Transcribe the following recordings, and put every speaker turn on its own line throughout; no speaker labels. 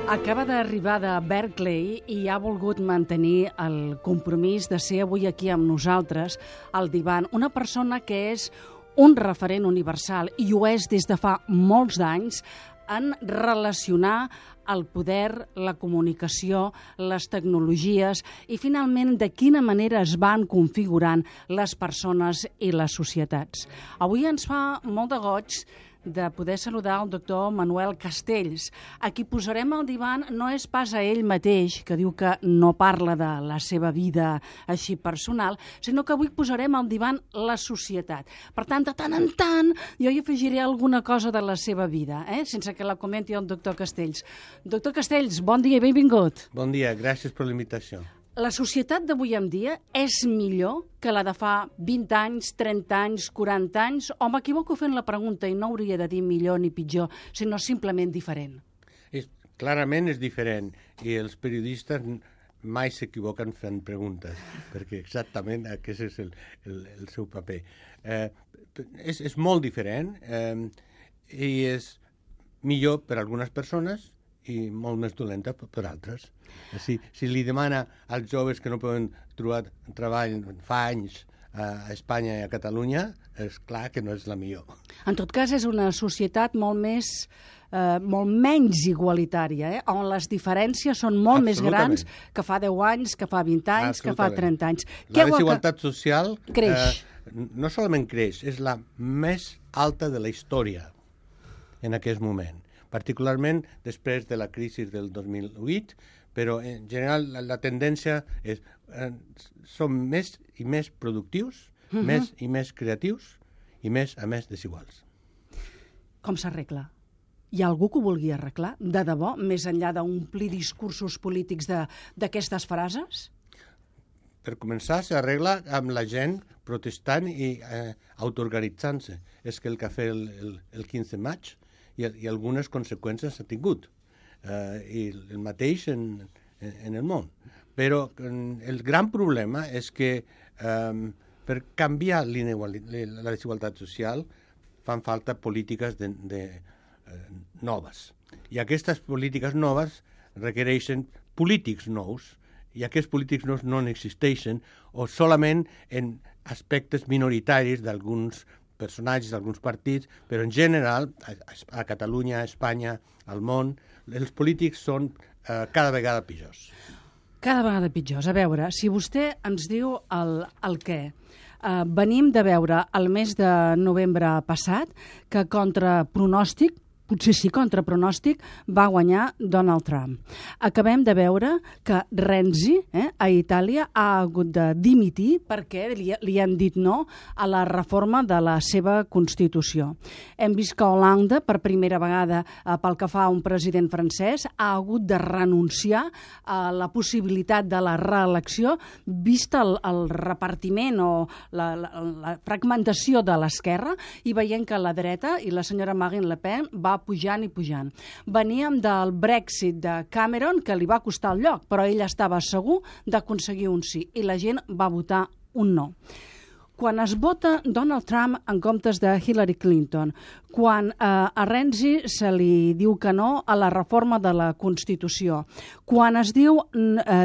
Acaba d'arribar de Berkeley i ha volgut mantenir el compromís de ser avui aquí amb nosaltres, al divan, una persona que és un referent universal i ho és des de fa molts anys en relacionar el poder, la comunicació, les tecnologies i, finalment, de quina manera es van configurant les persones i les societats. Avui ens fa molt de goig de poder saludar el doctor Manuel Castells. A qui posarem al divan no és pas a ell mateix, que diu que no parla de la seva vida així personal, sinó que avui posarem al divan la societat. Per tant, de tant en tant, jo hi afegiré alguna cosa de la seva vida, sense que la comenti el doctor Castells. Doctor Castells, bon dia i benvingut.
Bon dia, gràcies per la invitació.
La societat d'avui en dia és millor que la de fa 20 anys, 30 anys, 40 anys? O m'equivoco fent la pregunta i no hauria de dir millor ni pitjor, sinó simplement diferent?
Clarament és diferent i els periodistes mai s'equivoquen fent preguntes, perquè exactament aquest és el seu paper. És molt diferent i és millor per a algunes persones i molt més dolenta per altres. Si li demana als joves que no poden trobar treball fa anys a Espanya i a Catalunya, és clar que no és la millor.
En tot cas, és una societat molt menys igualitària, on les diferències són molt més grans que fa 10 anys, que fa 20 anys, que fa 30 anys.
La desigualtat social
creix.
No solament creix, és la més alta de la història en aquest moment, particularment després de la crisi del 2008, però en general la tendència és som més i més productius, més i més creatius i més a més desiguals.
Com s'arregla? Hi ha algú que ho vulgui arreglar, de debò, més enllà d'omplir discursos polítics d'aquestes frases?
Per començar, s'arregla amb la gent protestant i autoorganitzant-se. És que el que ha fet el 15 de maig i algunes conseqüències ha tingut. I el mateix en el món. Però el gran problema és que per canviar la desigualtat social fan falta polítiques noves. I aquestes polítiques noves requereixen polítics nous, i aquests polítics nous no existeixen o solament en aspectes minoritaris d'alguns personatges d'alguns partits, però en general, a Catalunya, a Espanya, al món, els polítics són cada vegada pitjors.
Cada vegada pitjors. A veure, si vostè ens diu el què. Venim de veure el mes de novembre passat que contra pronòstic, potser sí, contra pronòstic, va guanyar Donald Trump. Acabem de veure que Renzi, a Itàlia, ha hagut de dimitir perquè li han dit no a la reforma de la seva Constitució. Hem vist que Hollande, per primera vegada, pel que fa a un president francès, ha hagut de renunciar a la possibilitat de la reelecció, vist el repartiment o la fragmentació de l'esquerra, i veient que la dreta i la senyora Marine Le Pen va pujant i pujant. Veníem del Brexit de Cameron, que li va costar el lloc, però ell estava segur d'aconseguir un sí, i la gent va votar un no. Quan es vota Donald Trump en comptes de Hillary Clinton, quan a Renzi se li diu que no a la reforma de la Constitució, quan es diu,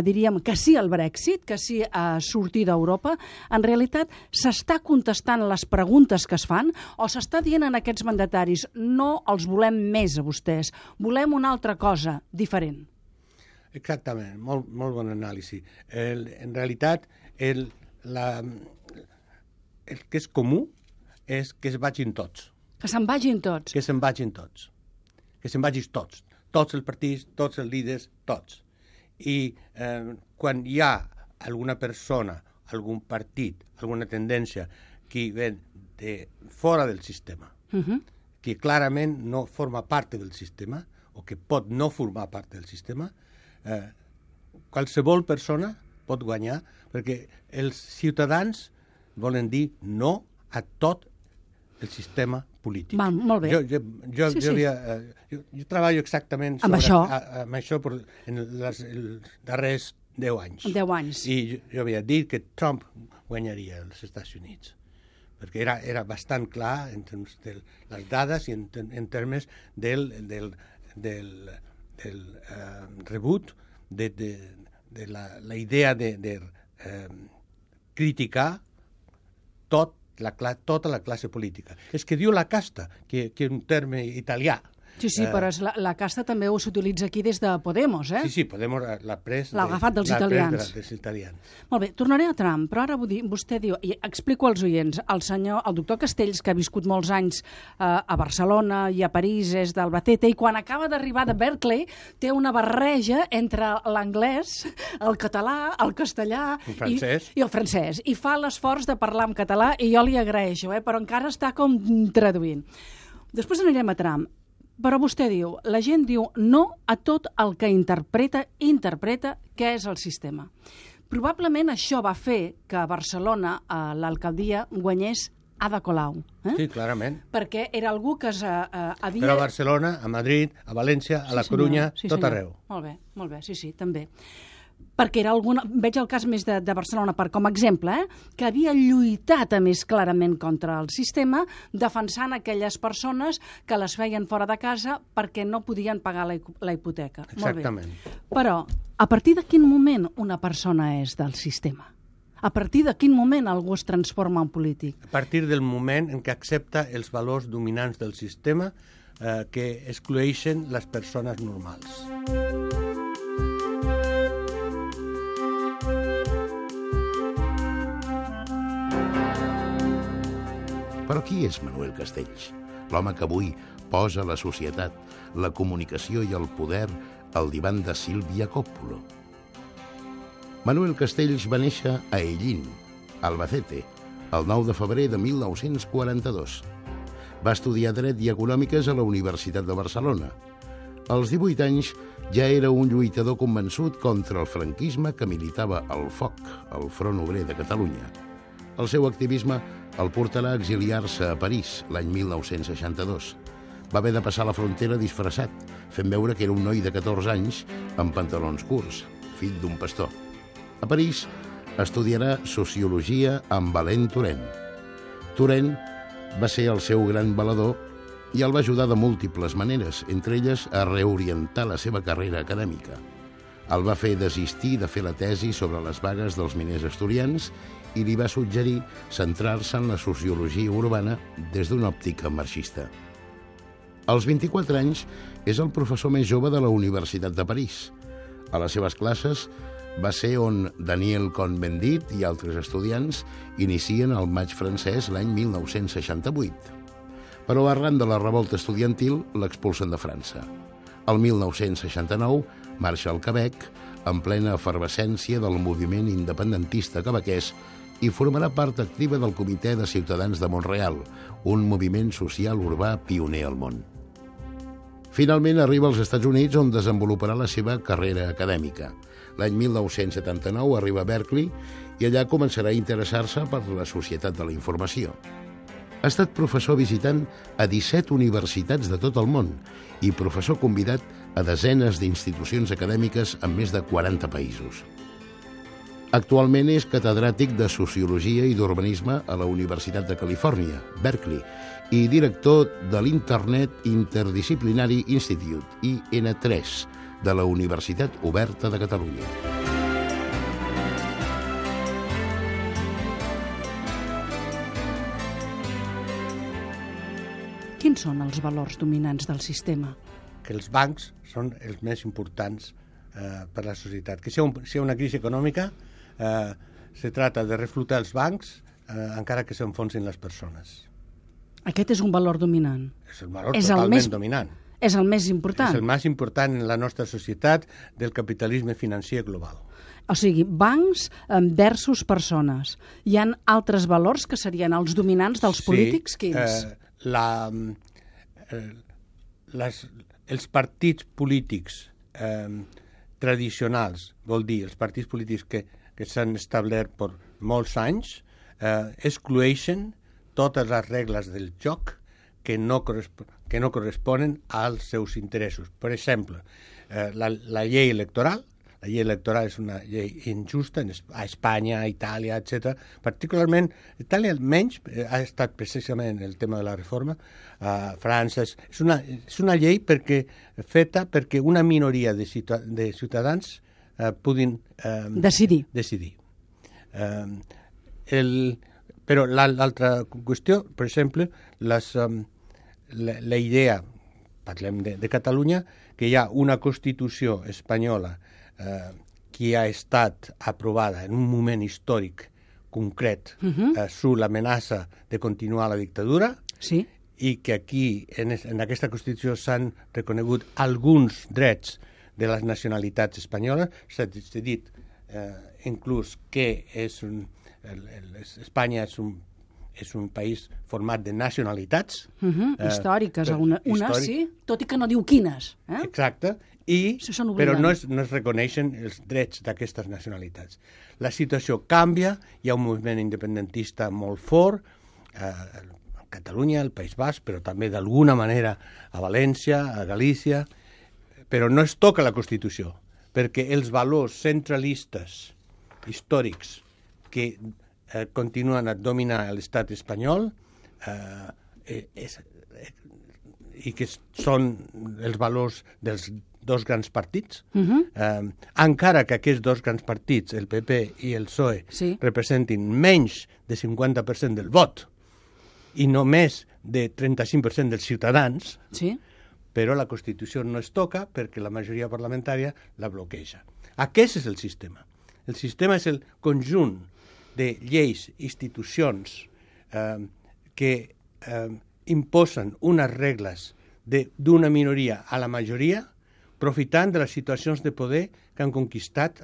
diríem, que sí al Brexit, que sí a sortir d'Europa, en realitat s'està contestant les preguntes que es fan o s'està dient en aquests mandataris no els volem més a vostès, volem una altra cosa diferent?
Exactament, molt bon anàlisi. En realitat, el que és comú és que es vagin tots.
Que se'n vagin tots.
Que se'n vagin tots. Que se'n vagin tots. Tots els partits, tots els líders, tots. I quan hi ha alguna persona, algun partit, alguna tendència que ven de fora del sistema, que clarament no forma part del sistema o que pot no formar part del sistema, qualsevol persona pot guanyar perquè els ciutadans volen dir no a tot el sistema polític.
Molt bé.
Jo treballo exactament
amb això
en els darrers 10 anys.
10 anys.
I jo havia dit que Trump guanyaria als Estats Units, perquè era bastant clar en termes de les dades i en termes del rebut de la idea de criticar tota la classe política. És que diu la casta, que és un terme italià.
Sí, però la casta també s'utilitza aquí des de Podemos, eh?
Sí, Podemos l'ha pres...
L'ha agafat dels italians.
Dels italians.
Molt bé, tornaré a Trump, però ara vostè diu, i explico als oients, el doctor Castells, que ha viscut molts anys a Barcelona i a París, és d'Albacete, i quan acaba d'arribar de Berkeley té una barreja entre l'anglès, el català, el castellà i el francès, i fa l'esforç de parlar en català, i jo li agraeixo, però encara està com traduint. Després anirem a Trump. Però vostè diu, la gent diu no a tot el que interpreta què és el sistema. Probablement això va fer que a Barcelona l'alcaldia guanyés Ada Colau.
Sí, clarament.
Perquè era algú que havia...
Però a Barcelona, a Madrid, a València, a la Corunya, tot arreu.
Molt bé, sí, també. Perquè era veig el cas més de Barcelona com a exemple, que havia lluitat més clarament contra el sistema, defensant aquelles persones que les feien fora de casa perquè no podien pagar la hipoteca.
Exactament.
Molt bé. Però, a partir de quin moment una persona és del sistema? A partir de quin moment algú es transforma en polític?
A partir del moment en què accepta els valors dominants del sistema que excloeixen les persones normals.
Però qui és Manuel Castells? L'home que avui posa la societat, la comunicació i el poder al divan de Sílvia Coppola. Manuel Castells va néixer a Ellín, Albacete, el 9 de febrer de 1942. Va estudiar Dret i Econòmiques a la Universitat de Barcelona. Als 18 anys ja era un lluitador convençut contra el franquisme que militava al FOC, el Front Obrer de Catalunya. El seu activisme el portarà a exiliar-se a París l'any 1962. Va haver de passar la frontera disfressat, fent veure que era un noi de 14 anys amb pantalons curts, fill d'un pastor. A París estudiarà Sociologia amb Alain Touraine. Touraine va ser el seu gran valedor i el va ajudar de múltiples maneres, entre elles a reorientar la seva carrera acadèmica. El va fer desistir de fer la tesi sobre les vagues dels miners asturians i li va suggerir centrar-se en la sociologia urbana des d'una òptica marxista. Als 24 anys és el professor més jove de la Universitat de París. A les seves classes va ser on Daniel Cohn-Bendit i altres estudiants inicien el maig francès l'any 1968. Però arran de la revolta estudiantil l'expulsen de França. El 1969 marxa al Quebec en plena efervescència del moviment independentista quebequès i formarà part activa del Comitè de Ciutadans de Montreal, un moviment social urbà pioner al món. Finalment arriba als Estats Units, on desenvoluparà la seva carrera acadèmica. L'any 1979 arriba a Berkeley i allà començarà a interessar-se per la societat de la informació. Ha estat professor visitant a 17 universitats de tot el món i professor convidat a desenes d'institucions acadèmiques en més de 40 països. Actualment és catedràtic de Sociologia i d'Urbanisme a la Universitat de Califòrnia, Berkeley, i director de l'Internet Interdisciplinary Institute, IN3, de la Universitat Oberta de Catalunya.
Quins són els valors dominants del sistema?
Que els bancs són els més importants per a la societat. Que si hi ha una crisi econòmica, se trata de reflotar els bancs encara que s'enfonsin les persones.
Aquest és un valor dominant.
És el valor totalment dominant.
És el més important.
És el més important en la nostra societat del capitalisme financer global.
O sigui, bancs versus persones. Hi ha altres valors que serien els dominants dels polítics? Quins?
Els partits polítics tradicionals, vol dir, els partits polítics que s'han establert per molts anys, excloeixen totes les regles del joc que no corresponen als seus interessos. Per exemple, la llei electoral, La llei electoral és una llei injusta a Espanya, a Itàlia, etc. Particularment, Itàlia menys ha estat precisament el tema de la reforma. A França és una llei feta perquè una minoria de ciutadans puguin
decidir.
Però l'altra qüestió, per exemple, la idea, parlem de Catalunya, que hi ha una Constitució espanyola que ha estat aprovada en un moment històric concret sobre l'amenaça de continuar la dictadura,
sí,
i que aquí, en aquesta Constitució, s'han reconegut alguns drets de les nacionalitats espanyoles. S'ha dit inclús que Espanya és un país format de nacionalitats.
Històriques, una sí, tot i que no diu quines.
Exacte, però no es reconeixen els drets d'aquestes nacionalitats. La situació canvia, hi ha un moviment independentista molt fort, a Catalunya, al País Basc, però també d'alguna manera a València, a Galícia, però no es toca la Constitució, perquè els valors centralistes històrics que continuen a dominar l'estat espanyol i que són els valors dels dos grans partits, encara que aquests dos grans partits, el PP i el PSOE, representin menys de 50% del vot i només de 35% dels ciutadans, però la Constitució no es toca perquè la majoria parlamentària la bloqueja. Aquest és el sistema. El sistema és el conjunt de lleis, institucions que imposen unes regles d'una minoria a la majoria, aprofitant de les situacions de poder que han conquistat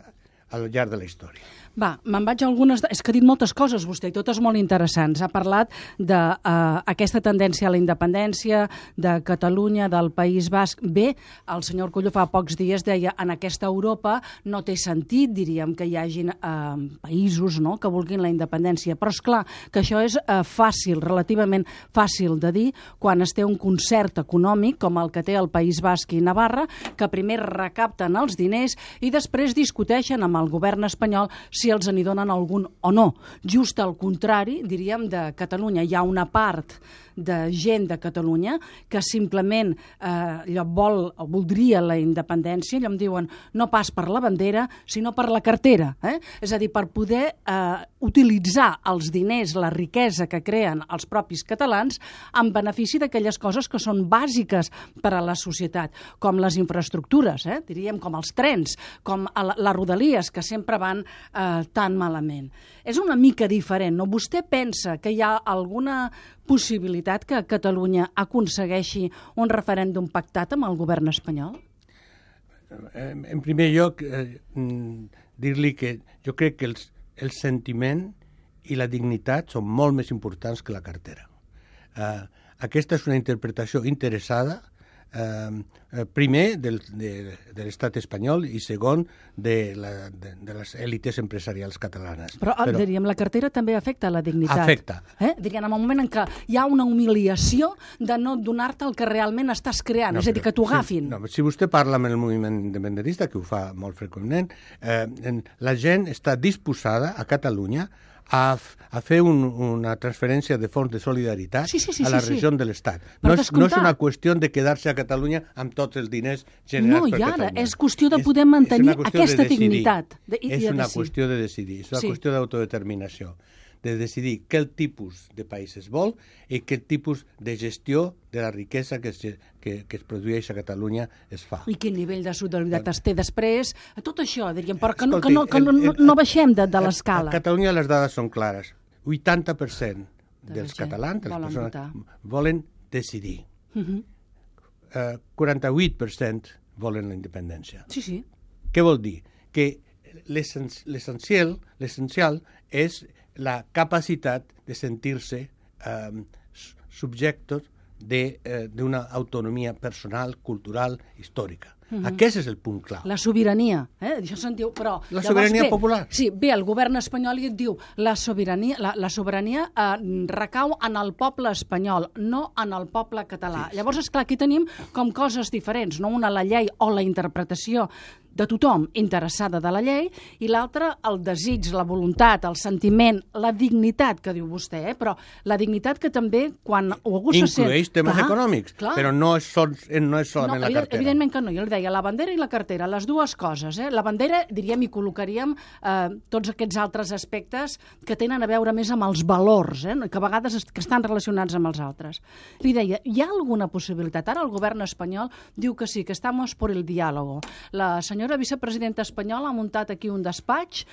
al llarg de la història.
Va, me'n vaig a algunes... És que ha dit moltes coses vostè, i totes molt interessants. Ha parlat d'aquesta tendència a la independència, de Catalunya, del País Basc. Bé, el senyor Coello fa pocs dies deia en aquesta Europa no té sentit, diríem, que hi hagin països que vulguin la independència. Però és clar que això és fàcil, relativament fàcil de dir, quan es té un concert econòmic com el que té el País Basc i Navarra, que primer recapten els diners i després discuteixen amb el govern espanyol si els n'hi donen algun o no. Just al contrari, diríem, de Catalunya. Hi ha una part de gent de Catalunya que simplement voldria la independència, allò em diuen no pas per la bandera, sinó per la cartera. És a dir, per poder utilitzar els diners, la riquesa que creen els propis catalans en benefici d'aquelles coses que són bàsiques per a la societat, com les infraestructures, diríem, com els trens, com les rodalies, que sempre van tan malament. És una mica diferent, no? Vostè pensa que hi ha alguna possibilitat que Catalunya aconsegueixi un referèndum pactat amb el govern espanyol?
En primer lloc, dir-li que jo crec que el sentiment i la dignitat són molt més importants que la cartera. Aquesta és una interpretació interessada, primer de l'estat espanyol i segon de les èlites empresarials catalanes.
Però diríem, la cartera també afecta la dignitat.
Afecta.
Diríem, en el moment en què hi ha una humiliació de no donar-te el que realment estàs creant, és a dir, que t'ho agafin.
Si vostè parla amb el moviment independentista, que ho fa molt freqüentment, la gent està disposada a Catalunya a fer una transferència de fons de solidaritat a la regió de l'Estat. No és una qüestió de quedar-se a Catalunya amb tots els diners generats per Catalunya.
No, i ara és qüestió de poder mantenir aquesta dignitat.
És una qüestió de decidir, és una qüestió d'autodeterminació, de decidir quin tipus de país es vol i quin tipus de gestió de la riquesa que es produeix a Catalunya es fa.
I quin nivell de solidaritat es té després, tot això, diríem, però que no baixem de l'escala.
A Catalunya les dades són clares. 80% dels catalans, de les persones, volen decidir. 48% volen la independència.
Sí.
Què vol dir? Que l'essencial és la capacitat de sentir-se subjectos d'una autonomia personal, cultural, històrica. Aquest és el punt clau.
La sobirania, això se'n diu, però...
La sobirania popular.
Sí, ve el govern espanyol i et diu la sobirania recau en el poble espanyol, no en el poble català. Llavors, esclar, aquí tenim com coses diferents, no? Una la llei o la interpretació de tothom interessada de la llei, i l'altra el desig, la voluntat, el sentiment, la dignitat que diu vostè, però la dignitat que també quan algú se sent...
Inclueix temes econòmics, però no és solament la cartera.
Evidentment que no, jo li deia la bandera i la cartera, les dues coses. La bandera, diríem, hi col·locaríem tots aquests altres aspectes que tenen a veure més amb els valors, que a vegades que estan relacionats amb els altres. Li deia, hi ha alguna possibilitat? Ara el govern espanyol diu que sí, que estamos por el diálogo. La senyora vicepresidenta espanyola ha muntat aquí un despatx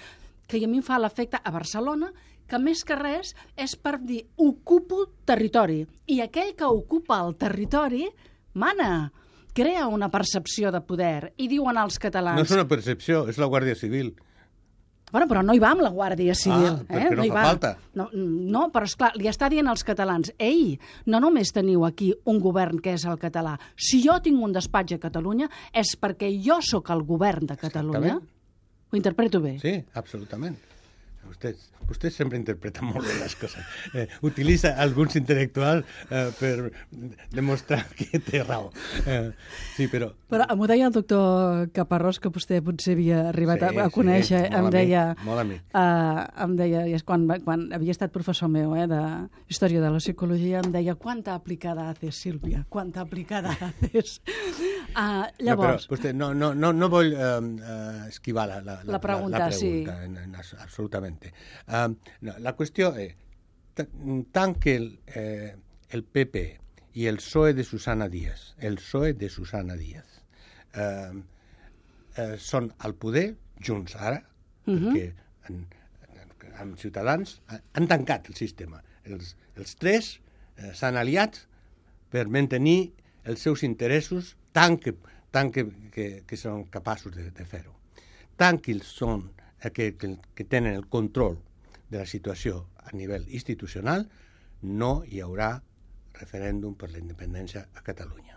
que a mi em fa l'efecte a Barcelona, que més que res és per dir ocupo territori, i aquell que ocupa el territori mana, crea una percepció de poder, i diuen els catalans...
No és una percepció, és la Guàrdia Civil.
Bueno, però no hi va amb la Guàrdia Civil.
Perquè no fa falta.
No, però esclar, li està dient als catalans, ei, no només teniu aquí un govern que és el català, si jo tinc un despatx a Catalunya és perquè jo sóc el govern de Catalunya.
Exactament.
Ho interpreto bé?
Sí, absolutament. Vostè sempre interpreta molt bé les coses. Utilitza alguns intel·lectuals per demostrar que té raó. Sí, però...
Però m'ho deia el doctor Caparrós, que vostè potser havia arribat a conèixer. Em deia, quan havia estat professor meu de Història de la Psicologia, em deia, ¿cuánta aplicada haces, Sílvia? ¿Cuánta aplicada haces? Llavors...
Vostè, no vull esquivar la pregunta,
sí.
Absolutament. La qüestió és, tant que el PP i el PSOE de Susana Díaz, són al poder, junts ara, perquè amb Ciutadans han tancat el sistema. Els tres s'han aliat per mantenir els seus interessos tant que són capaços de fer-ho. Tant que són que tenen el control de la situació a nivell institucional, no hi haurà referèndum per la independència a Catalunya.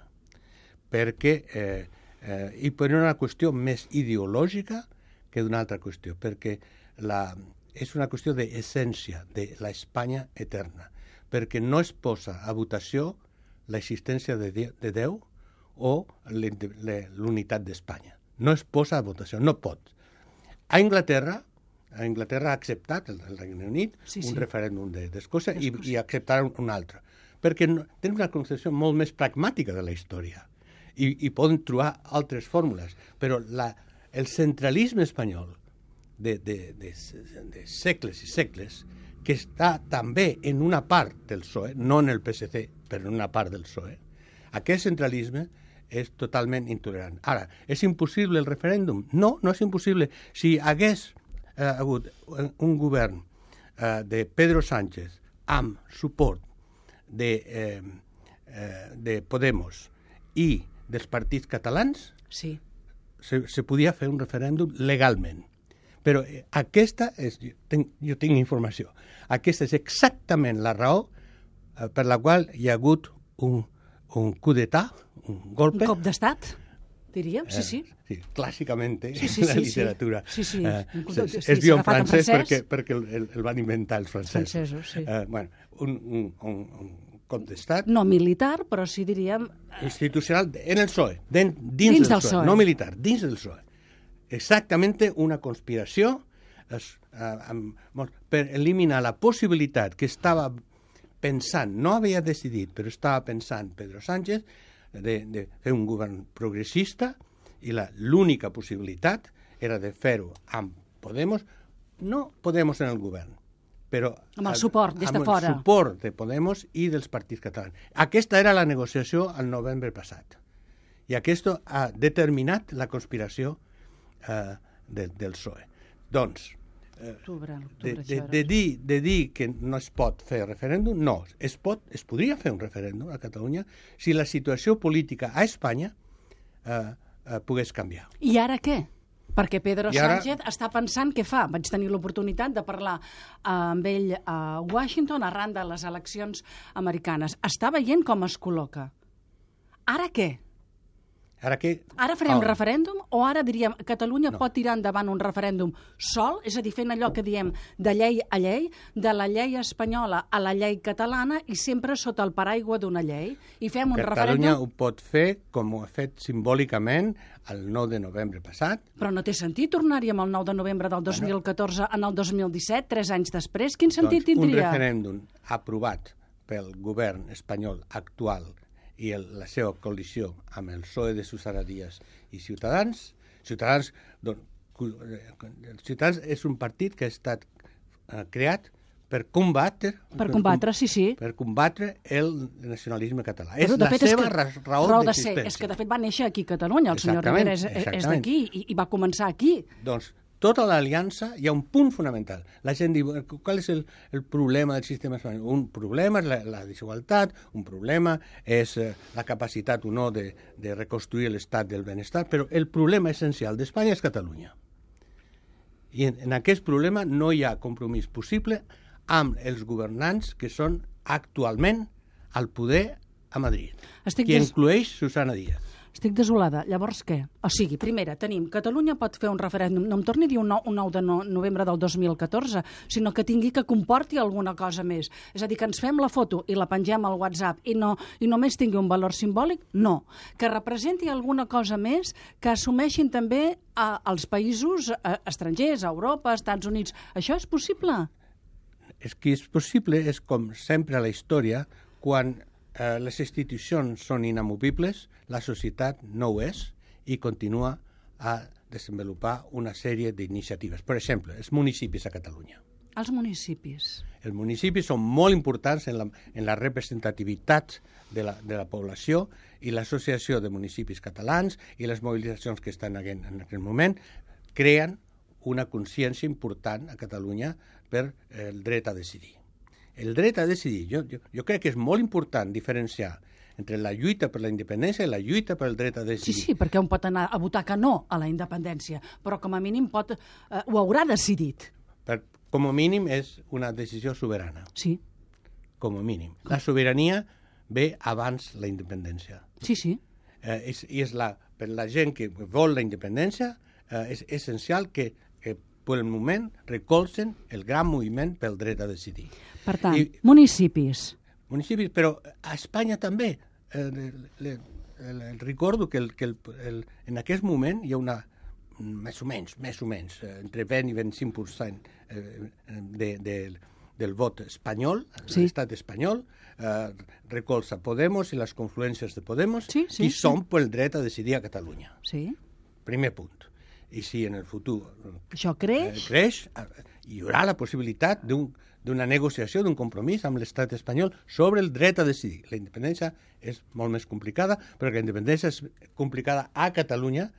Perquè, i per una qüestió més ideològica que d'una altra qüestió, perquè és una qüestió d'essència de l'Espanya eterna, perquè no es posa a votació l'existència de Déu o l'unitat d'Espanya. No es posa a votació, no pot. A Anglaterra ha acceptat, el Regne Unit, un referèndum d'Escòcia i acceptaran un altre, perquè tenen una concepció molt més pragmàtica de la història i poden trobar altres fórmules, però el centralisme espanyol de segles i segles, que està també en una part del PSOE, no en el PSC, però en una part del PSOE, aquest centralisme és totalment intolerant. Ara, és impossible el referèndum? No, no és impossible. Si hagués hagut un govern de Pedro Sánchez amb suport de Podemos i dels partits catalans, se podia fer un referèndum legalment. Però aquesta és, jo tinc informació, aquesta és exactament la raó per la qual hi ha hagut un coup d'etat, un golpe.
Un cop d'estat, diríem, sí.
Sí, clàssicament, la literatura.
Sí.
Es diu en francès perquè el van inventar els francesos. Un cop d'estat.
No militar, però sí diríem...
Institucional, en el PSOE, dins del PSOE, no militar, dins del PSOE. Exactament una conspiració per eliminar la possibilitat que estava pensant, no havia decidit, però estava pensant Pedro Sánchez de fer un govern progressista i l'única possibilitat era de fer-ho amb Podemos, no Podemos en el govern, però
amb el suport des de fora.
Amb el suport de Podemos i dels partits catalans. Aquesta era la negociació al novembre passat. I aquest ha determinat la conspiració del PSOE. Doncs, de dir que no es pot fer referèndum, no. Es podria fer un referèndum a Catalunya si la situació política a Espanya pogués canviar.
I ara què? Perquè Pedro Sánchez està pensant què fa. Vaig tenir l'oportunitat de parlar amb ell a Washington arran de les eleccions americanes. Està veient com es col·loca. Ara què? Ara farem referèndum o ara diríem Catalunya pot tirar endavant un referèndum sol, és a dir, fent allò que diem de llei a llei, de la llei espanyola a la llei catalana i sempre sota el paraigua d'una llei i fem un referèndum...
Catalunya ho pot fer com ho ha fet simbòlicament el 9 de novembre passat.
Però no té sentit tornar-hi amb el 9 de novembre del 2014 en el 2017, 3 anys després? Quin sentit tindria?
Un referèndum aprovat pel govern espanyol actual i la seva coalició amb el PSOE de Susana Díaz i Ciutadans. Ciutadans és un partit que ha estat creat per combatre...
Per combatre, sí.
Per combatre el nacionalisme català. És
la seva
raó d'existència.
És que, de fet, va néixer aquí a Catalunya. El senyor Rivera és d'aquí i va començar aquí.
Doncs tota l'aliança hi ha un punt fonamental. La gent diu, qual és el problema del sistema espanyol? Un problema és la desigualtat, un problema és la capacitat o no de reconstruir l'estat del benestar, però el problema essencial d'Espanya és Catalunya. I en aquest problema no hi ha compromís possible amb els governants que són actualment al poder a Madrid, que inclueix Susana Díaz.
Estic desolada. Llavors què? O sigui, primera, tenim Catalunya pot fer un referèndum, no em torni a dir un 9 de novembre del 2014, sinó que tingui que comporti alguna cosa més. És a dir, que ens fem la foto i la pengem al WhatsApp i només tingui un valor simbòlic? No. Que representi alguna cosa més, que assumeixin també als països estrangers, a Europa, als Estats Units. Això és possible?
És que és possible, és com sempre a la història, quan les institucions són inamovibles, la societat no ho és i continua a desenvolupar una sèrie d'iniciatives. Per exemple, els municipis a Catalunya.
Els municipis.
Els municipis són molt importants en la representativitat de la població i l'associació de municipis catalans i les mobilitzacions que estan en aquest moment creen una consciència important a Catalunya per el dret a decidir. El dret a decidir, jo crec que és molt important diferenciar entre la lluita per la independència i la lluita per el dret a decidir.
Sí, perquè un pot anar a votar que no a la independència, però com a mínim ho haurà decidit.
Com a mínim és una decisió soberana.
Sí.
Com a mínim. La sobirania ve abans la independència.
Sí.
I per la gent que vol la independència és essencial que per el moment recolzen el gran moviment pel dret a decidir.
Per tant, municipis.
Municipis, però a Espanya també. Recordo que en aquest moment hi ha una, més o menys, entre 20 i 25% del vot espanyol, l'estat espanyol, recolza Podemos i les confluències de Podemos, qui són pel dret a decidir a Catalunya.
Sí.
Primer punt. I si en el futur
això creix,
hi haurà la possibilitat d'una negociació, d'un compromís amb l'estat espanyol sobre el dret a decidir. La independència és molt més complicada, però la independència és complicada a Catalunya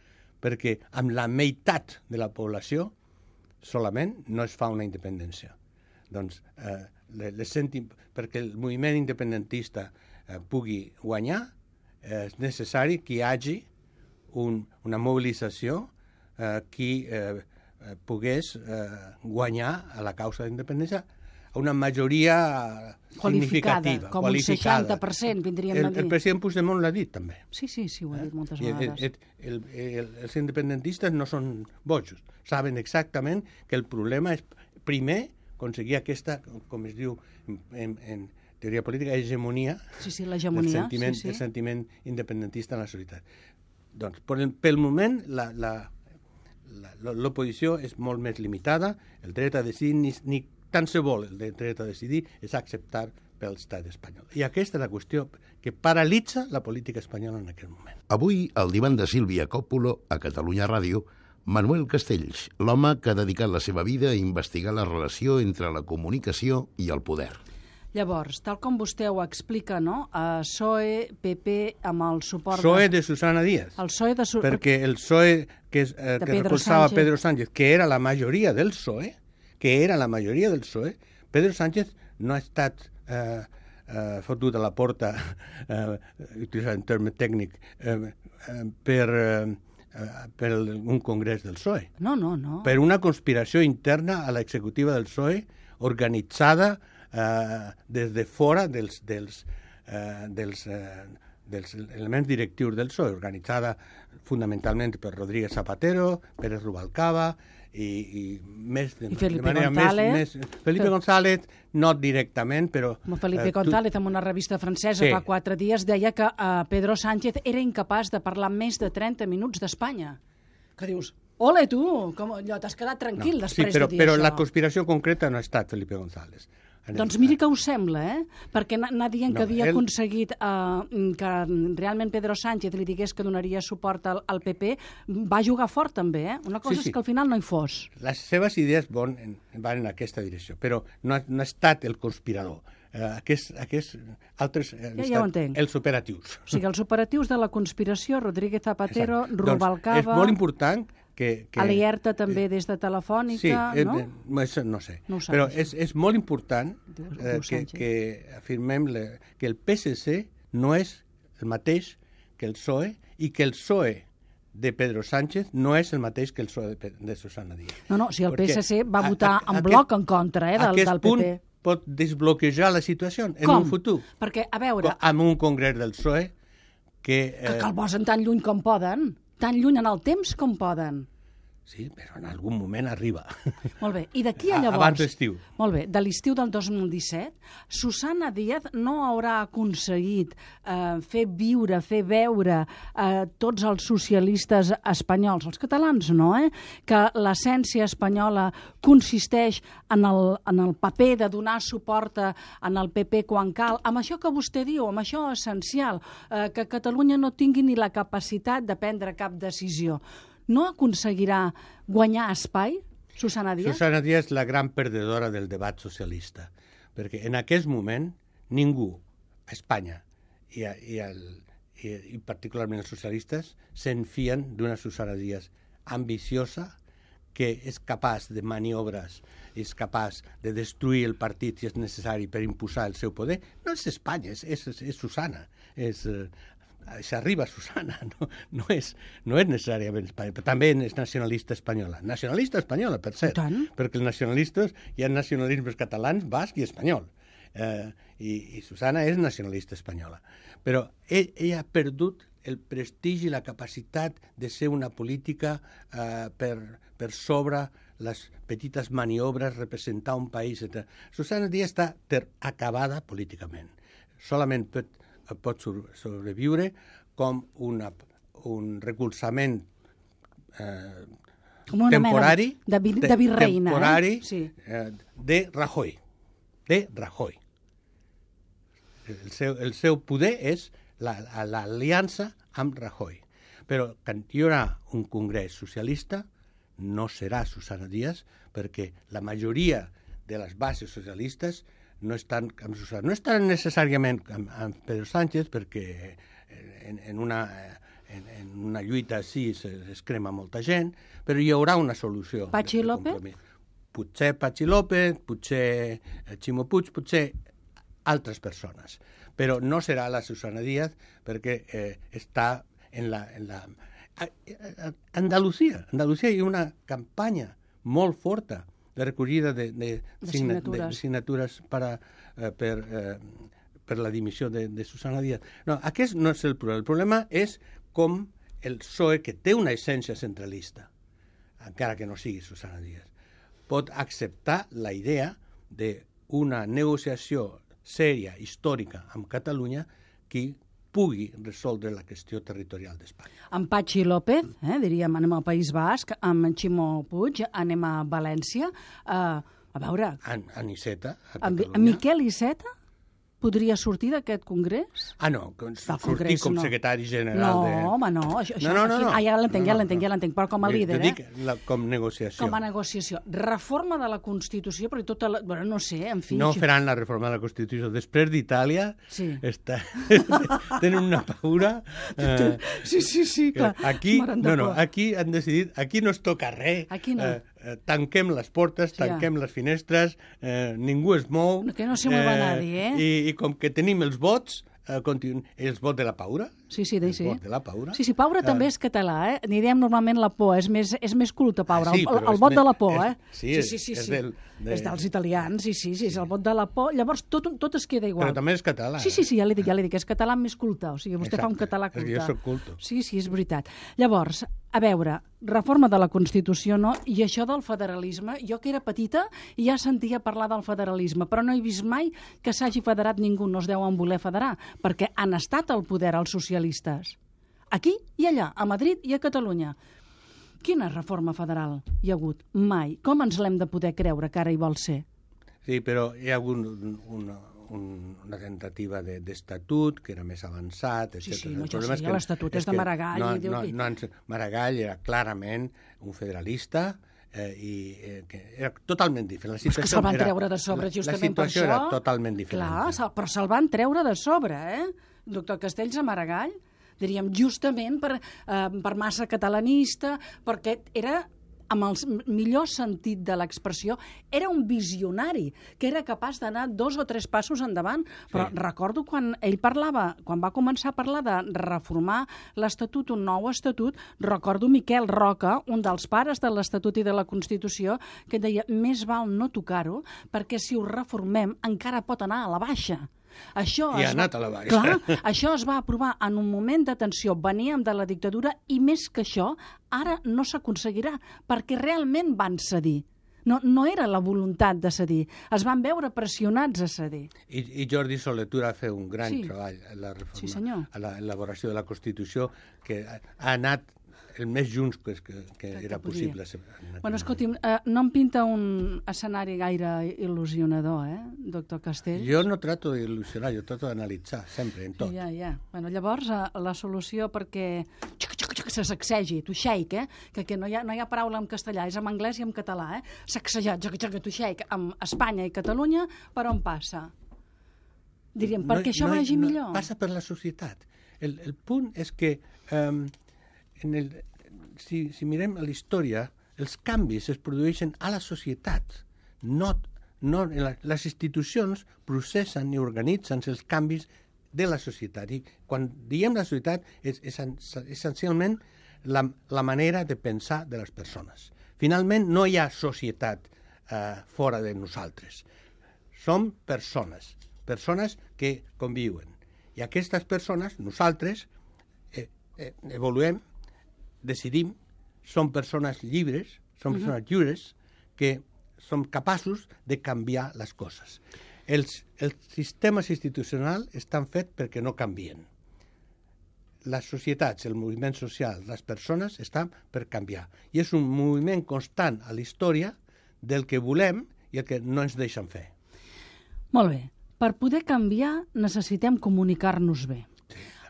perquè amb la meitat de la població solament no es fa una independència. Doncs, perquè el moviment independentista pugui guanyar, és necessari que hi hagi una mobilització qui pogués guanyar a la causa de la independència a una majoria significativa,
com
qualificada.
Un 60% vindríem a dir.
El president Puigdemont l'ha dit, també.
Sí, ho ha dit moltes vegades.
Els independentistes no són bojos. Saben exactament que el problema és, primer, aconseguir aquesta, com es diu en teoria política, hegemonia, el sentiment independentista en la societat. Doncs, pel moment, l'oposició és molt més limitada, el dret a decidir, ni tant se vol el dret a decidir, és acceptar pel estat espanyol. I aquesta és la qüestió que paralitza la política espanyola en aquest moment.
Avui, al divan de Sílvia Coppola, a Catalunya Ràdio, Manuel Castells, l'home que ha dedicat la seva vida a investigar la relació entre la comunicació i el poder.
Llavors, tal com vostè ho explica, no? PSOE, PP, amb el suport...
PSOE de Susana Díaz.
El PSOE de
Perquè el PSOE que recolzava Pedro Sánchez, que era la majoria del PSOE, Pedro Sánchez no ha estat fotut a la porta, utilitzant un terme tècnic, per un congrés del PSOE.
No.
Per una conspiració interna a l'executiva del PSOE, organitzada des de fora dels dels elements directius del PSOE, organitzada fundamentalment per Rodríguez Zapatero, Pérez Rubalcaba i més de manera més Felipe González, no directament, però...
Felipe González, en una revista francesa fa 4 dies, deia que Pedro Sánchez era incapaç de parlar més de 30 minuts d'Espanya. Que dius, ole tu, com allò, t'has quedat tranquil després de dir això.
Però la conspiració concreta no ha estat Felipe González.
Doncs miri que us sembla, perquè anar dient que havia aconseguit que realment Pedro Sánchez li digués que donaria suport al PP, va jugar fort també, Una cosa és que al final no hi fos.
Les seves idees van en aquesta direcció, però no ha estat el conspirador. Aquests altres han estat els operatius.
O sigui, els operatius de la conspiració, Rodríguez Zapatero, Rubalcaba...
És molt important que
alerta també des de Telefònica, no?
Sí, no sé. Però és molt important que afirmem que el PSC no és el mateix que el PSOE i que el PSOE de Pedro Sánchez no és el mateix que el PSOE de Susana Díaz.
No, si el PSC va votar en bloc en contra del PP.
Aquest punt pot desbloquejar la situació en un futur.
Perquè, a veure...
Amb un congrés del PSOE que
el posen tan lluny com poden. Tan lluny en el temps com poden.
Sí, però en algun moment arriba.
Molt bé, i d'aquí a llavors...
Abans d'estiu.
Molt bé, de l'estiu del 2017, Susana Díaz no haurà aconseguit fer veure tots els socialistes espanyols, els catalans no, que l'essència espanyola consisteix en el paper de donar suport en el PP quan cal, amb això que vostè diu, amb això essencial, que Catalunya no tingui ni la capacitat de prendre cap decisió. No aconseguirà guanyar espai, Susana Díaz?
Susana Díaz és la gran perdedora del debat socialista, perquè en aquest moment ningú a Espanya i particularment els socialistes se'n fien d'una Susana Díaz ambiciosa que és capaç de maniobres, és capaç de destruir el partit si és necessari per imposar el seu poder. No és Espanya, és Susana, s'arriba a Susana, no és necessàriament Espanya, però també és nacionalista espanyola. Nacionalista espanyola, per cert, perquè els nacionalistes hi ha nacionalismes catalans, basc i espanyol. I Susana és nacionalista espanyola. Però ella ha perdut el prestigi i la capacitat de ser una política per sobre les petites maniobres, representar un país, etc. Susana Díaz està acabada políticament. Solament pot sobreviure com un recolzament temporari
de virreina,
de Rajoy. El seu poder és l'aliança amb Rajoy. Però quan hi haurà un congrés socialista no serà Susana Díaz, perquè la majoria de les bases socialistes no estan amb Susana. No estan necessàriament amb Pedro Sánchez, perquè en una lluita així es crema molta gent, però hi haurà una solució.
Patxi López?
Potser Patxi López, potser Ximo Puig, potser altres persones. Però no serà la Susana Díaz, perquè està en la... Andalusia hi ha una campanya molt forta de recollida de signatures per la dimissió de Susana Díaz. No, aquest no és el problema. El problema és com el PSOE, que té una essència centralista, encara que no sigui Susana Díaz, pot acceptar la idea d'una negociació sèria, històrica, amb Catalunya, que pugui resoldre la qüestió territorial d'Espanya.
Amb Patxi López, diríem, anem al País Basc, amb Ximo Puig, anem a València, a veure...
En Iceta, a
Catalunya. En Miquel Iceta podria sortir d'aquest congrés?
No, sortir com secretari general de...
No, home, no. Ja l'entenc, però com a líder,
dic com negociació.
Com a negociació. Reforma de la Constitució, perquè tota la... Bueno, no sé, en fi...
No faran la reforma de la Constitució. Després d'Itàlia tenen una paura...
Sí, clar.
Aquí han decidit... Aquí no es toca res.
Aquí no.
Tanquem les portes, tanquem les finestres, ningú es mou...
Que no se mueva nadie,
I com que tenim els vots, els vot de la Paura.
Sí,
vot de la Paura.
Sí, Paura també és català, N'hi diem normalment la por, és més culte, Paura.
Sí,
el vot de la por,
Sí.
És dels italians, sí, és el vot de la por. Llavors, tot es queda igual.
Però també és català.
Sí, ja li dic, és català més culte. O sigui, vostè fa un català culte.
Perquè jo soc culto.
Sí, és veritat. Llavors, a veure, reforma de la Constitució, no? I això del federalisme, jo que era petita ja sentia parlar del federalisme, però no he vist mai que s'hagi federat ningú, no es deuen voler federar, perquè han estat al poder els socialistes. Aquí i allà, a Madrid i a Catalunya. Quina reforma federal hi ha hagut? Mai. Com ens l'hem de poder creure que ara hi vol ser?
Sí, però hi ha hagut una tentativa d'estatut que era més avançat, etc.
Sí, l'estatut és de Maragall.
Maragall era clarament un federalista que era totalment diferent.
És que se'l van treure de sobre justament per això.
La situació era totalment diferent.
Clar, però se'l van treure de sobre, Doctor Castells a Maragall, diríem, justament per massa catalanista, perquè era, amb el millor sentit de l'expressió, era un visionari, que era capaç d'anar 2 o 3 passos endavant. Però recordo quan ell parlava, quan va començar a parlar de reformar l'Estatut, un nou Estatut, recordo Miquel Roca, un dels pares de l'Estatut i de la Constitució, que deia, més val no tocar-ho, perquè si ho reformem encara pot anar a la baixa.
I ha anat a la baixa.
Clar, això es va aprovar en un moment de tensió. Veníem de la dictadura i més que això, ara no s'aconseguirà, perquè realment van cedir. No era la voluntat de cedir. Es van veure pressionats a cedir.
I Jordi Soletura va fer un gran treball a la reforma, a l'elaboració de la Constitució, que ha anat el més junts que era possible.
Bueno, escolti'm, no em pinta un escenari gaire il·lusionador, doctor Castells?
Jo no trato d'il·lusionar, jo trato d'analitzar, sempre, en tot.
Ja. Bueno, llavors, la solució perquè se sacsegi, to shake, que no hi ha paraula en castellà, és en anglès i en català, sacsejar, to shake, amb Espanya i Catalunya, per on passa? Diríem, perquè això vagi millor.
Passa per la societat. El punt és que si mirem la història, els canvis es produeixen a la societat. Les institucions processen i organitzen els canvis de la societat. I quan diem la societat és essencialment la manera de pensar de les persones. Finalment, no hi ha societat fora de nosaltres. Som persones que conviuen. I aquestes persones, nosaltres, evoluem, decidim, som persones lliures, som persones lliures que som capaços de canviar les coses. Els sistemes institucionals estan fets perquè no canvien. Les societats, el moviment social, les persones estan per canviar. I és un moviment constant a la història del que volem i el que no ens deixen fer.
Molt bé. Per poder canviar necessitem comunicar-nos bé.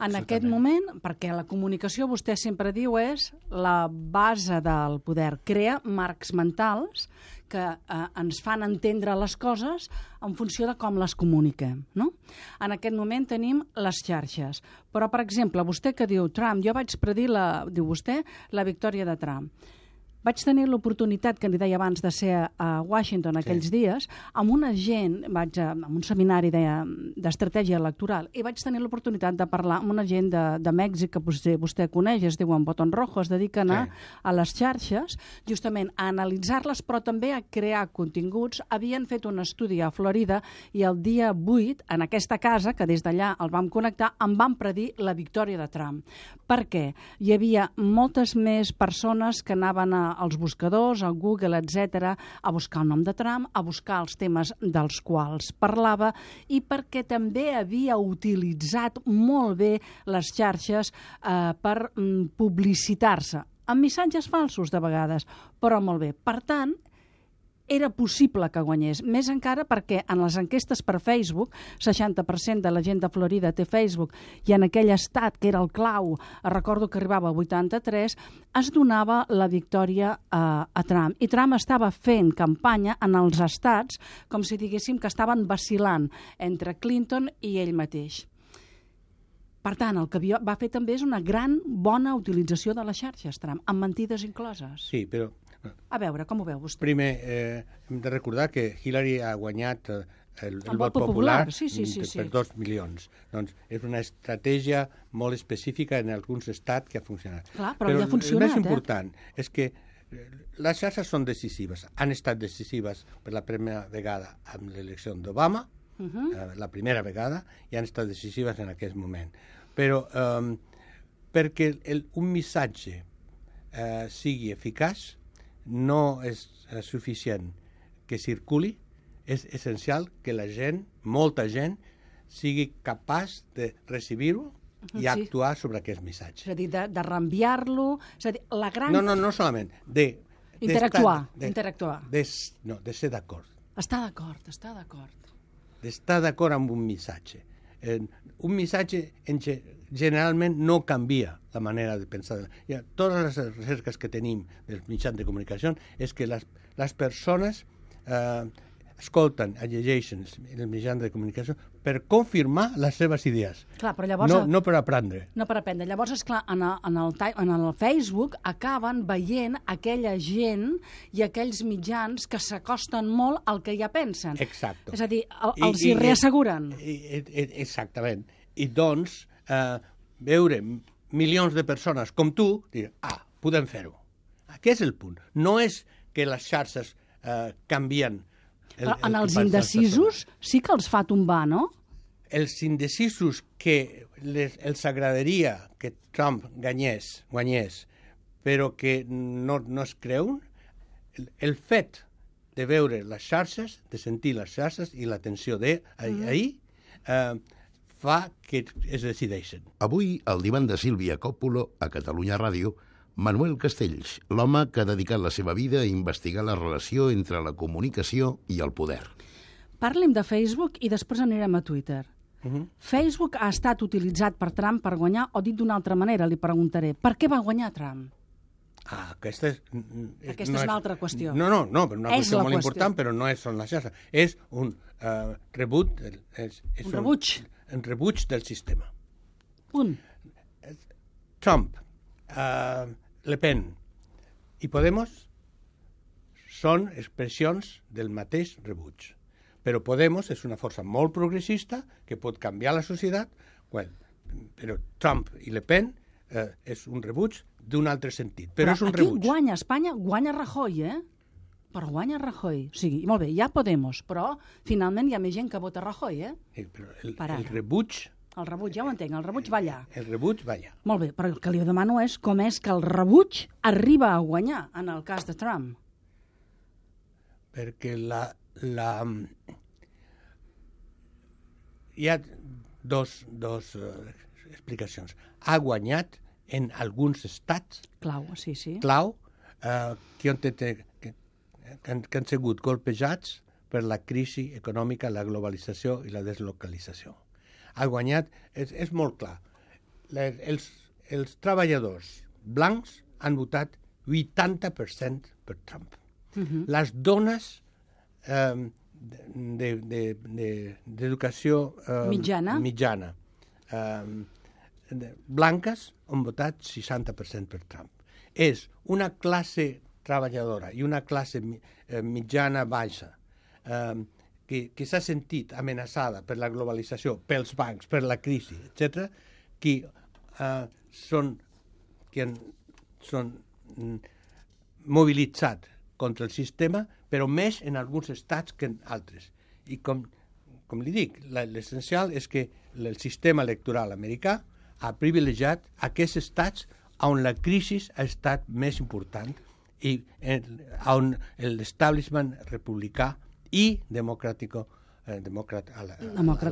En aquest moment, perquè la comunicació, vostè sempre diu, és la base del poder. Crea marcs mentals que ens fan entendre les coses en funció de com les comuniquem, no? En aquest moment tenim les xarxes. Però, per exemple, vostè que diu Trump, jo vaig predir, diu vostè, la victòria de Trump. Vaig tenir l'oportunitat, que li deia abans, de ser a Washington aquells dies, amb una gent, amb un seminari d'estratègia electoral, i vaig tenir l'oportunitat de parlar amb una gent de Mèxic, que vostè coneix, es diuen Botón Rojo, es dediquen a les xarxes, justament a analitzar-les, però també a crear continguts. Havien fet un estudi a Florida i el dia 8, en aquesta casa, que des d'allà el vam connectar, em van predir la victòria de Trump. Per què? Hi havia moltes més persones que anaven als buscadors, al Google, etc., a buscar el nom de Trump, a buscar els temes dels quals parlava, i perquè també havia utilitzat molt bé les xarxes per publicitar-se, amb missatges falsos de vegades, però molt bé. Per tant, era possible que guanyés. Més encara perquè en les enquestes per Facebook, 60% de la gent de Florida té Facebook, i en aquell estat, que era el clau, recordo que arribava a 83, es donava la victòria a Trump. I Trump estava fent campanya en els estats, com si diguéssim que estaven vacil·lant entre Clinton i ell mateix. Per tant, el que va fer també és una gran, bona utilització de les xarxes, Trump, amb mentides incloses.
Sí, però...
A veure, com ho veu vostè?
Primer, hem de recordar que Hillary ha guanyat el vot popular
sí.
per 2 milions. Doncs és una estratègia molt específica en alguns estats que ha funcionat.
Clar, però ja ha funcionat,
el més important és que les xarxes són decisives. Han estat decisives per la primera vegada amb l'elecció d'Obama, la primera vegada, i han estat decisives en aquest moment. Però perquè un missatge sigui eficaç no és suficient que circuli, és essencial que la gent, molta gent, sigui capaç de recibir-ho i actuar sobre aquest missatge.
És a dir, de reenviar-lo... És a dir, la gran...
No solament.
Interactuar.
De ser d'acord.
Estar d'acord.
D'estar d'acord amb un missatge. Un missatge generalment no canvia la manera de pensar. Totes les recerques que tenim dels mitjans de comunicació és que les persones escolten, llegeixen els mitjans de comunicació per confirmar les seves idees.
Clar, però llavors...
No per aprendre.
No per aprendre. Llavors, esclar, en el Facebook acaben veient aquella gent i aquells mitjans que s'acosten molt al que ja pensen.
Exacte.
És a dir, els hi reasseguren.
Exactament. I doncs, veure milions de persones com tu, dir, podem fer-ho. Aquest és el punt. No és que les xarxes canvien...
En els indecisos sí que els fa tombar, no?
Els indecisos que els agradaria que Trump guanyés, però que no es creuen, el fet de veure les xarxes, de sentir les xarxes i l'atenció d'ahir, fa que es decideixen.
Avui, al divan de Sílvia Coppolo, a Catalunya Ràdio, Manuel Castells, l'home que ha dedicat la seva vida a investigar la relació entre la comunicació i el poder.
Parlem de Facebook i després anirem a Twitter. Facebook ha estat utilitzat per Trump per guanyar, o dit d'una altra manera, li preguntaré, per què va guanyar Trump?
Aquesta és
una altra qüestió.
No, però una qüestió molt important, però no són les xarxes. És un rebuig.
Un rebuig.
Un rebuig del sistema.
Punt.
Trump, Le Pen i Podemos són expressions del mateix rebuig. Però Podemos és una força molt progressista que pot canviar la societat, però Trump i Le Pen és un rebuig d'un altre sentit. Però és un rebuig.
Aquí guanya Espanya, guanya Rajoy, Però guanya Rajoy. O sigui, molt bé, hi ha Podemos, però finalment hi ha més gent que vota Rajoy,
Sí, però el rebuig...
El rebuig, ja ho entenc, el rebuig va allà.
El rebuig va allà.
Molt bé, però el que li demano és com és que el rebuig arriba a guanyar en el cas de Trump.
Perquè hi ha dos explicacions. Ha guanyat en alguns estats
clau, sí.
que han sigut colpejats per la crisi econòmica, la globalització i la deslocalització. Ha guanyat, és molt clar. Els treballadors blancs han votat 80% per Trump. Les dones d'educació mitjana blanques han votat 60% per Trump. És una classe treballadora i una classe mitjana baixa que s'ha sentit amenaçada per la globalització, pels bancs, per la crisi, etc., que són mobilitzats contra el sistema, però més en alguns estats que en altres. I com li dic, l'essencial és que el sistema electoral americà ha privilegiat aquests estats on la crisi ha estat més important i on l'establishment republicà i democràtic a la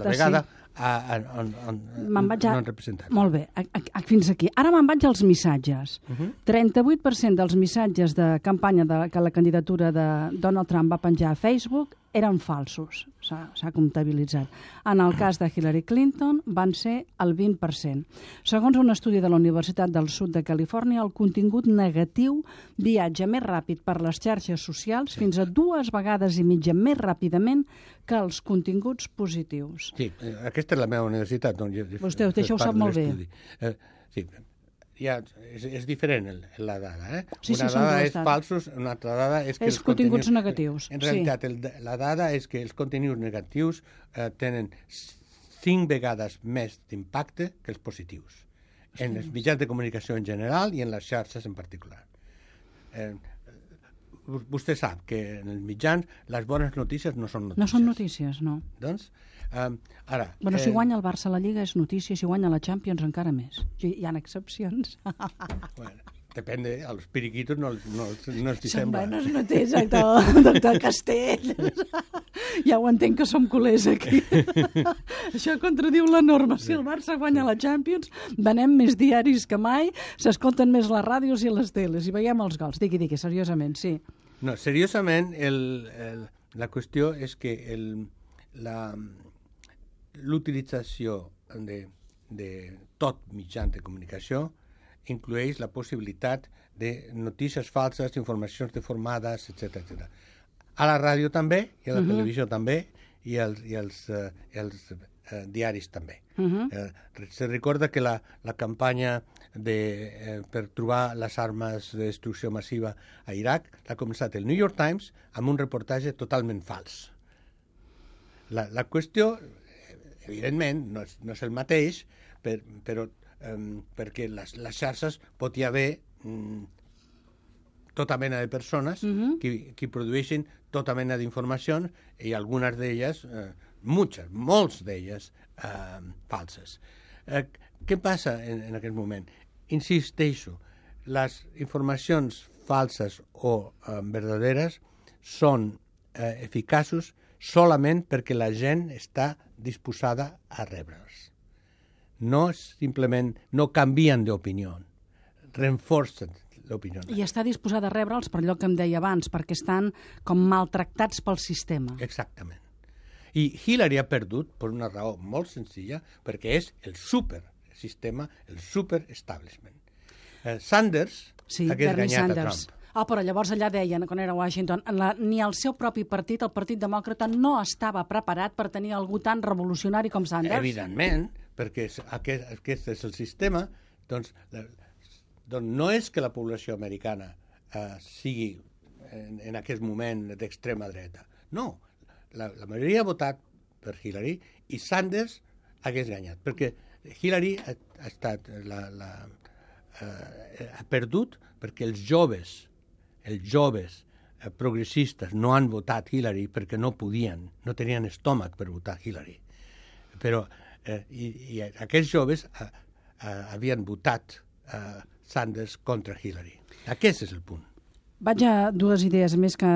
vegada no han representat.
Molt bé, fins aquí. Ara me'n vaig als missatges. 38% dels missatges de campanya que la candidatura de Donald Trump va penjar a Facebook eren falsos, s'ha comptabilitzat. En el cas de Hillary Clinton van ser el 20%. Segons un estudi de la Universitat del Sud de Califòrnia, el contingut negatiu viatja més ràpid per les xarxes socials fins a 2 vegades i mitja més ràpidament que els continguts positius.
Sí, aquesta és la meva universitat.
Vostè això ho sap molt bé.
Sí, és diferent la dada.
Sí,
una dada és falsos, una altra dada és que
els continguts negatius.
En realitat, la dada és que els continguts negatius tenen 5 vegades més d'impacte que els positius, en els mitjans de comunicació en general i en les xarxes en particular. Vostè sap que en els mitjans les bones notícies no són notícies.
No són notícies, no.
Doncs, ara...
Bueno, si guanya el Barça a la Lliga és notícia, si guanya la Champions encara més. Hi ha excepcions.
Bueno, depende, a los periquitos no els
Són
sembla.
bones notícies, doctor Castell. Ja ho entenc que som culers aquí. Això contradiu la norma. Si el Barça guanya la Champions, venem més diaris que mai, s'escolten més les ràdios i les teles i veiem els gols. Digui, seriosament, sí.
No, seriosament, la qüestió és que l'utilització de tot mitjan de comunicació inclueix la possibilitat de notícies falses, informacions deformades, etc. A la ràdio també, i a la televisió també, i als diaris també. Se recorda que la campanya per trobar les armes de destrucció massiva a Iraq l'ha començat el New York Times amb un reportatge totalment fals. La qüestió, evidentment, no és el mateix, però perquè les xarxes pot hi haver tota mena de persones que produeixen tota mena d'informacions i algunes d'elles, molts d'elles, falses. Què passa en aquest moment? Insisteixo, les informacions falses o verdaderes són eficaços solament perquè la gent està disposada a rebre'ls. No simplement no canvien d'opinió, reforcen l'opinió.
I està disposada a rebre'ls per allò que em deia abans, perquè estan com maltractats pel sistema.
Exactament. I Hillary ha perdut per una raó molt senzilla, perquè és el supersistema, el superestablishment. Sanders hagués guanyat a Trump.
Però llavors allà deien, quan era a Washington, ni el seu propi partit, el Partit Demòcrata, no estava preparat per tenir algú tan revolucionari com Sanders.
Evidentment, perquè aquest és el sistema, doncs no és que la població americana sigui en aquest moment d'extrema dreta. No, la majoria ha votat per Hillary i Sanders hagués guanyat, perquè Hillary ha perdut perquè els joves progressistes no han votat Hillary perquè no podien, no tenien estómac per votar Hillary. Però i aquests joves havien votat Sanders contra Hillary. Aquest és el punt.
Vaig a dues idees més que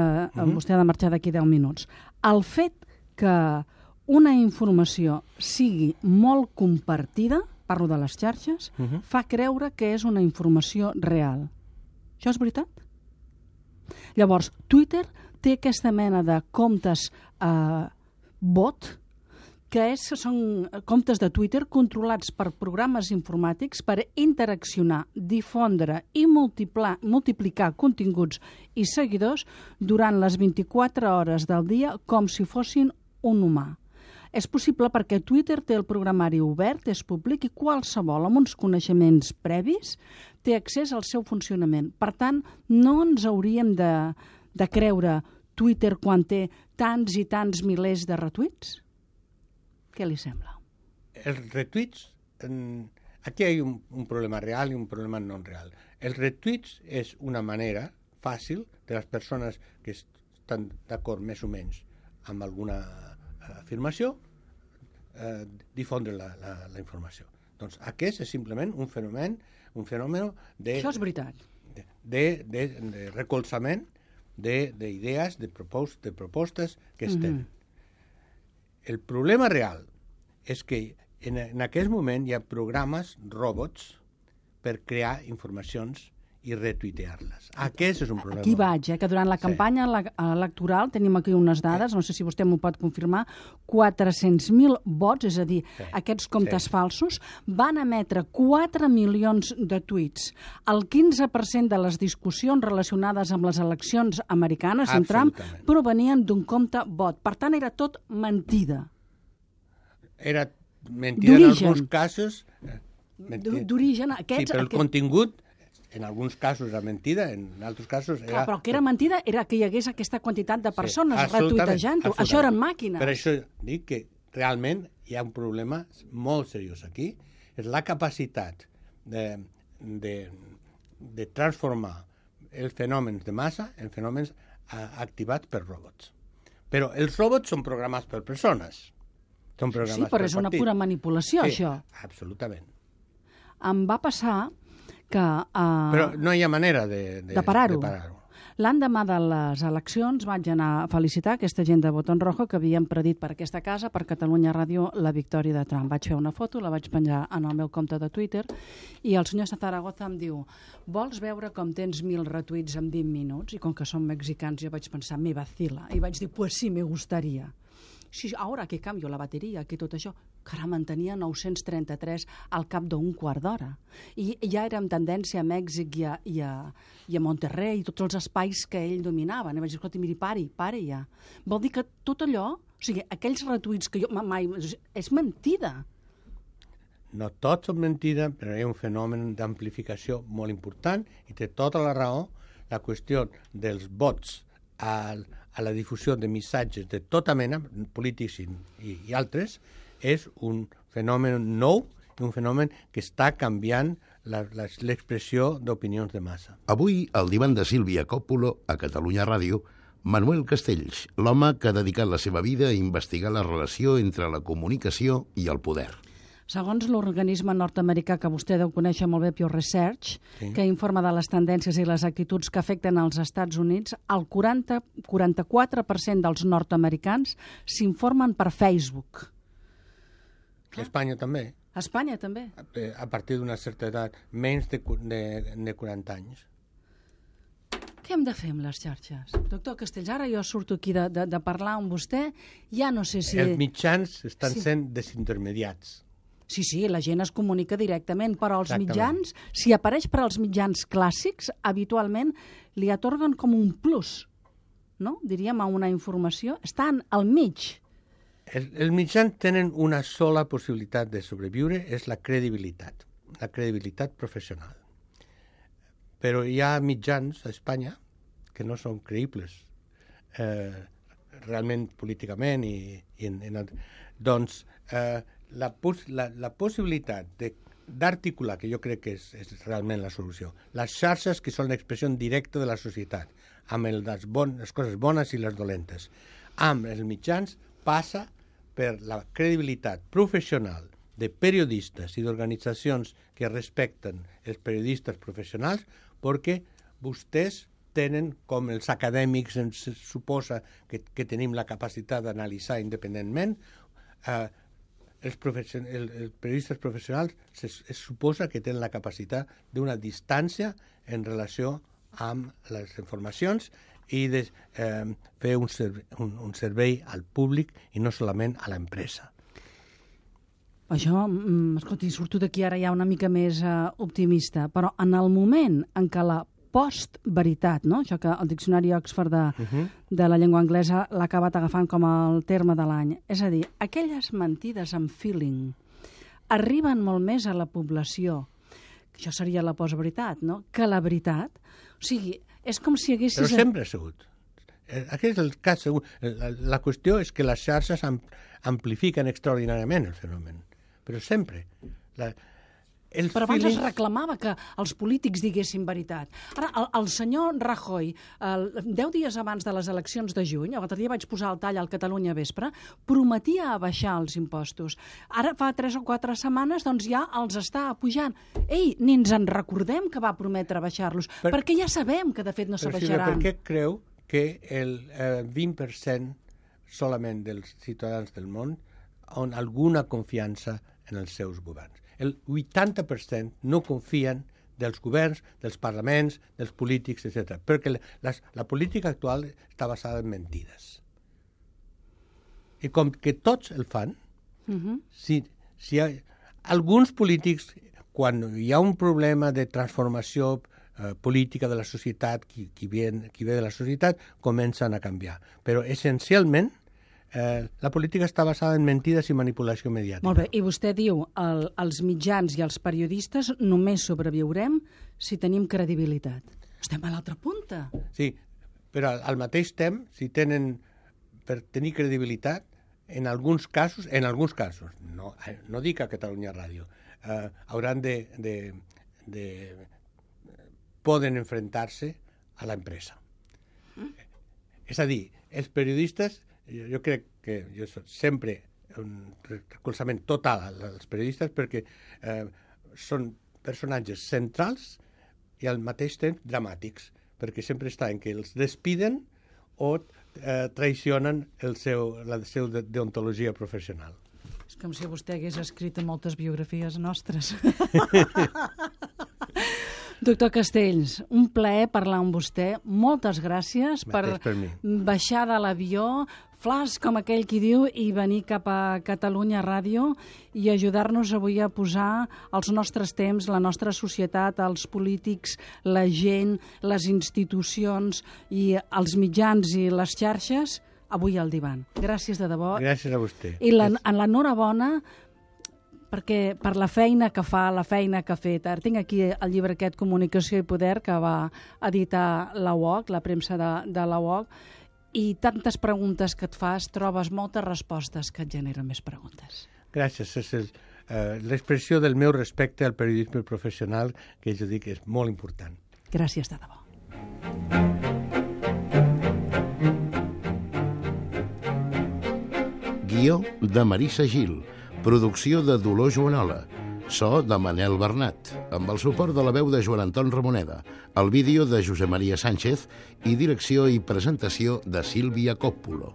vostè ha de marxar d'aquí 10 minuts. El fet que una informació sigui molt compartida, parlo de les xarxes, fa creure que és una informació real. Això és veritat? Llavors, Twitter té aquesta mena de comptes bot, que són comptes de Twitter controlats per programes informàtics per interaccionar, difondre i multiplicar continguts i seguidors durant les 24 hores del dia com si fossin un humà. És possible perquè Twitter té el programari obert, és públic i qualsevol amb uns coneixements previs té accés al seu funcionament. Per tant, no ens hauríem de creure Twitter quan té tants i tants milers de retuits? Què li sembla?
Els retuits, aquí hi ha un problema real i un problema no real. Els retuits és una manera fàcil de les persones que estan d'acord més o menys amb alguna afirmació, difondre la informació. Doncs aquest és simplement un fenomen de...
Això és veritat.
De recolzament d'idees, de propostes que es tenen. El problema real és que en aquest moment hi ha programes, robots, per crear informacions i retuitear-les. Aquest és un problema.
Aquí vaig, que durant la campanya electoral, tenim aquí unes dades, no sé si vostè m'ho pot confirmar, 400.000 vots, és a dir, aquests comptes falsos, van emetre 4 milions de tuits. El 15% de les discussions relacionades amb les eleccions americanes amb Trump provenien d'un compte bot. Per tant, era tot mentida.
Era mentida en alguns casos,
d'origen.
Sí, però el contingut, en alguns casos era mentida, en altres casos era...
Clar, però el que era mentida era que hi hagués aquesta quantitat de persones retuitejant-ho. Això eren màquines.
Per això dic que realment hi ha un problema molt seriós aquí. És la capacitat de transformar els fenòmens de massa en fenòmens activats per robots. Però els robots són programats per persones. Són programats
però és una pura manipulació, això.
Absolutament.
Em va passar que...
Però no hi ha manera de
parar-ho.
parar-ho.
L'endemà de les eleccions vaig anar a felicitar aquesta gent de Botón Rojo que havien predit per aquesta casa, per Catalunya Ràdio, la victòria de Trump. Vaig fer una foto, la vaig penjar en el meu compte de Twitter i el senyor Zaragoza em diu: vols veure com tens 1000 retuits en 20 minuts? I com que som mexicans jo vaig pensar, me vacila. I vaig dir, pues sí, me gustaría. Sí, ahora que cambio la bateria, que tot això... Caram, en tenia 933 al cap d'un quart d'hora. I ja era amb tendència a Mèxic i a Monterrey, i tots els espais que ell dominava. I vaig dir, escolta, miri, pari ja. Vol dir que tot allò, o sigui, aquells retuits que jo mai... És mentida.
No tots són mentida, però hi ha un fenomen d'amplificació molt important i té tota la raó. La qüestió dels vots a la difusió de missatges de tota mena, polítics i altres, és un fenomen nou, un fenomen que està canviant l'expressió d'opinions de massa.
Avui, al divan de Sílvia Coppola, a Catalunya Ràdio, Manuel Castells, l'home que ha dedicat la seva vida a investigar la relació entre la comunicació i el poder.
Segons l'organisme nord-americà que vostè deu conèixer molt bé, Pew Research, que informa de les tendències i les actituds que afecten als Estats Units, el 44% dels nord-americans s'informen per Facebook.
A Espanya també.
A Espanya també.
A partir d'una certa edat, menys de 40 anys.
Què hem de fer amb les xarxes? Doctor Castells, ara jo surto aquí de parlar amb vostè, ja no sé si...
Els mitjans estan sent desintermediats.
Sí, la gent es comunica directament, però els mitjans, si apareix per als mitjans clàssics, habitualment li atorguen com un plus, no? Diríem, a una informació. Estan al mig.
Els mitjans tenen una sola possibilitat de sobreviure, és la credibilitat professional. Però hi ha mitjans a Espanya que no són creïbles realment políticament doncs la possibilitat d'articular, que jo crec que és realment la solució, les xarxes que són l'expressió directa de la societat, amb les coses bones i les dolentes, amb els mitjans, passa per la credibilitat professional de periodistes i d'organitzacions que respecten els periodistes professionals, perquè vostès tenen, com els acadèmics ens suposa que tenim la capacitat d'analitzar independentment, els periodistes professionals es suposa que tenen la capacitat d'una distància en relació amb les informacions i de fer un servei al públic i no solament a l'empresa.
Això, escolti, surto d'aquí ara ja una mica més optimista, però en el moment en què la post-veritat, no? Això que el diccionari Oxford de la llengua anglesa l'ha acabat agafant com el terme de l'any. És a dir, aquelles mentides amb feeling arriben molt més a la població, això seria la post-veritat, no? Que la veritat. O sigui, és com si haguessis...
Però sempre ha sigut. Aquest és el cas segur. La qüestió és que les xarxes amplifiquen extraordinàriament el fenomen. Però sempre.
Però abans es reclamava que els polítics diguessin veritat. Ara, el senyor Rajoy, 10 dies abans de les eleccions de juny, l'altre dia vaig posar el tall al Catalunya Vespre, prometia abaixar els impostos. Ara, fa 3 o 4 setmanes, doncs ja els està pujant. Ei, ni ens en recordem que va prometre abaixar-los, perquè ja sabem que de fet no s'abaixaran.
Per què creu que el 20% solament dels ciutadans del món han alguna confiança en els seus governs? El 80% no confien dels governs, dels parlaments, dels polítics, etc. Perquè la política actual està basada en mentides. I com que tots el fan, si alguns polítics, quan hi ha un problema de transformació política de la societat, qui ve de la societat, comencen a canviar. Però essencialment la política està basada en mentides i manipulació mediàtica.
Molt bé, i vostè diu els mitjans i els periodistes només sobreviurem si tenim credibilitat. Estem a l'altra punta.
Sí, però al mateix temps, si tenen per tenir credibilitat, en alguns casos, no dic a Catalunya Ràdio, hauran poden enfrontar-se a l'empresa. És a dir, els periodistes, jo crec que jo soc sempre un recolzament total als periodistes perquè són personatges centrals i al mateix temps dramàtics, perquè sempre està en que els despiden o traicionen la seva deontologia professional.
És com si vostè hagués escrit moltes biografies nostres. Doctor Castells, un plaer parlar amb vostè. Moltes gràcies per baixar de l'avió, flash, com aquell qui diu, i venir cap a Catalunya Ràdio i ajudar-nos avui a posar els nostres temps, la nostra societat, els polítics, la gent, les institucions i els mitjans i les xarxes, avui al divan. Gràcies de debò.
Gràcies a vostè.
I l'enhorabona perquè per la feina que fa, la feina que ha fet. Ara tinc aquí el llibre aquest, Comunicació i Poder, que va editar la UOC, la premsa de la UOC, i tantes preguntes que et fas, trobes moltes respostes que et generen més preguntes.
Gràcies. És l'expressió del meu respecte al periodisme professional, que jo dic que és molt important.
Gràcies de debò.
Guió de Marissa Gil. Producció de Dolors Joanola. So de Manel Bernat, amb el suport de la veu de Joan Anton Ramoneda, el vídeo de Josep Maria Sánchez i direcció i presentació de Sílvia Coppulo.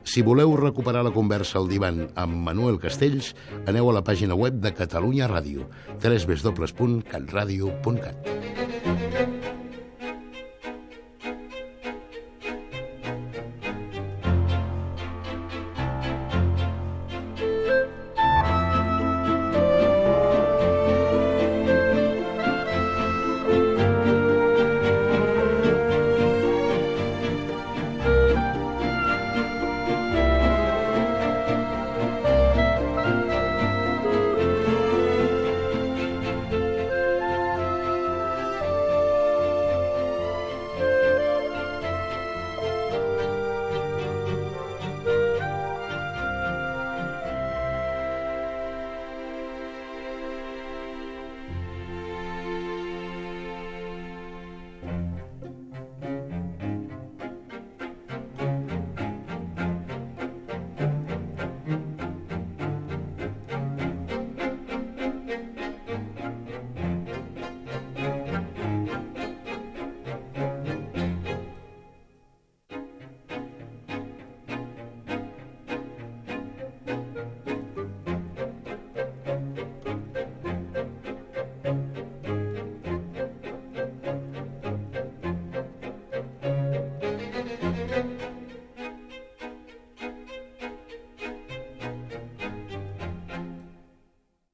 Si voleu recuperar la conversa al divan amb Manuel Castells, aneu a la pàgina web de Catalunya Ràdio, www.catradio.cat.